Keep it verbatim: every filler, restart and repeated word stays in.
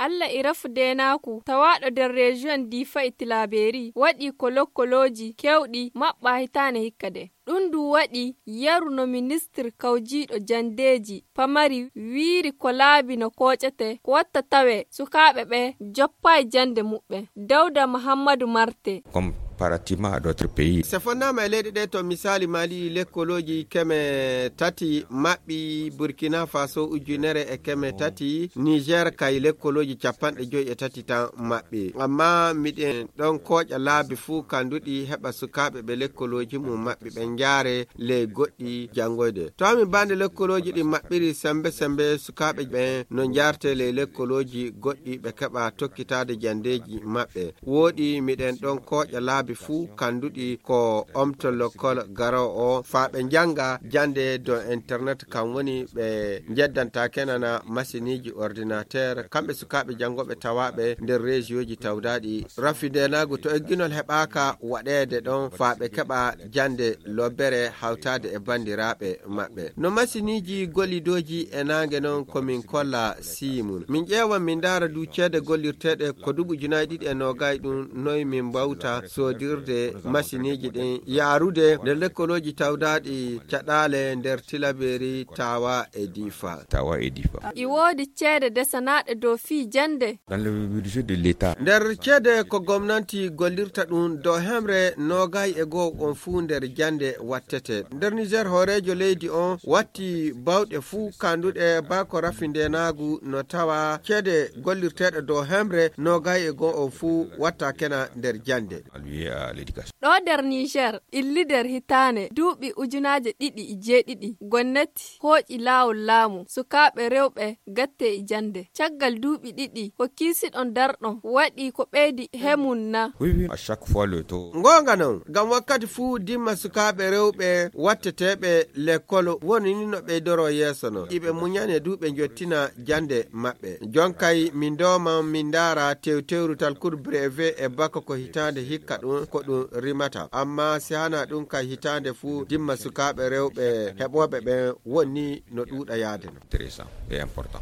Alla e rafu deenaaku tawaaɗo nder reziyoŋ Diifa e Tilaabeeri waɗi ko lokkolooji keewɗi maɓɓaa hitaande hikka de. Ɗum ndu waɗi yeru no ministir kawjiiɗo janndeeji pamari wiiri ko laabi no kooƴete ko watta tawee sukaaɓe ɓe joppaay jannde muɓɓen. Dawda Muhammadu Marte. Comparativement à d'autres pays. Se fonnaama e leyɗe ɗe to misaali Mali lekkolooji keme tati maɓɓi, Burkina Faso ujunere e keme tati, Niger kay lekkolooji capanɗe joyi e tati tan maɓɓi. Amma miɗen ɗon kooƴa laabi fuu kanduɗi heɓa sukaaɓe ɓe lekkolooji mum maɓɓi ɓe njaare ley goɗɗi janngoyde. To amin bande lekkolooji ɗi maɓɓiri sembe sembe sukaaɓe ɓen no njaarte ley lekkolooji goɗɗi ɓe keɓa tokkitaade janndeeji maɓɓe. Wooɗi miɗen ɗon kooƴa laabi fuu kanduɗi ko omto lokkol garo o faa ɓe njannga jannde dow internet, kam woni ɓe njeddanta kenana masiniiji ordinateur, kamɓe sukaaɓe janngooɓe tawaaɓe nder reziyoji tawdaaɗi. Rafi ndeenaagu to egginol heɓaaka waɗeede ɗon faa ɓe keɓa jannde lobbere hawtaade e banndiraaɓe maɓɓe. No masiniiji gollidooji e naange non ko min kolla sii mun. Min ƴeewa min ndaara du ceede gollirteeɗe ko duuɓi ujunaaji ɗiɗi e noogay ɗum noy min mbawta soodirde masiniiji ɗin yaarude nder lekkolooji tawdaaɗi caɗaale nder Tilabeeri, Tawa e Diifa. Tawa e Diifa. I woodi ceede desanaaɗe dow fii jannde. Dans le budget de l'État. Nder ceede ko gomnanti gollirta ɗum dow hemre noogay e goo on fuu nder jannde wattete. Nder Niger hooreejo leydi on watti bawɗe fuu kanduɗe baa ko rafi ndeenaagu no tawa ceede gollirteeɗe dow hemre noogay e goo on fuu watta kena nder jannde. Alloué à l'éducation. Ɗo nder Niger, ɓilli nder hitaande duuɓi ujunaaje ɗiɗi e jeeɗiɗi, gomnati hooƴi laawol laamu, sukaaɓe rewɓe gatte e jannde. Caggal duuɓi ɗiɗi, ko kiisiɗon darɗon waɗi ko ɓeydi hemun na? Oui, oui, à chaque fois le taux. Ngoonga non, ngam wakkati fuu dimma sukaaɓe rewɓe watteteeɓe lekkol woni ni no ɓeydoro yeeso non. Iɓe muñane du ɓe njottina jannde maɓɓe. Jonkay min ndooman min ndaara tewtewrutal cours brevet e baka ko hitaande hikka ɗum ko ɗum rimata. Amma si hana ɗum kay hitaande fuu dimma sukaaɓe rewɓe heɓooɓe ɓen woni no ɗuuɗa yaade non. Intéressant et important.